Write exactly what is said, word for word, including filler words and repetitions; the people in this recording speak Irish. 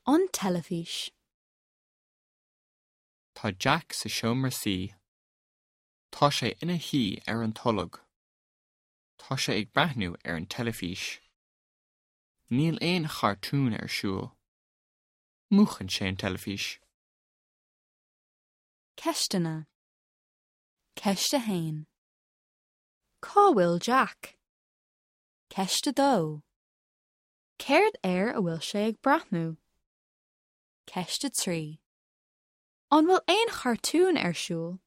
An teilifís. Tá Jack sa seomra suí. Tá sé ina shuí ar an tolg. Tá sé ag breathnú ar an teilifís. Níl aon chartún ar siúl. Múchann sé an teilifís. Ceisteanna. Ceist a haon. Cá bhfuil Jack? Ceist a dó. Céard air a bhfuil sé ag breathnú? Ceist a trí. An bhfuil aon chartún ar siúl?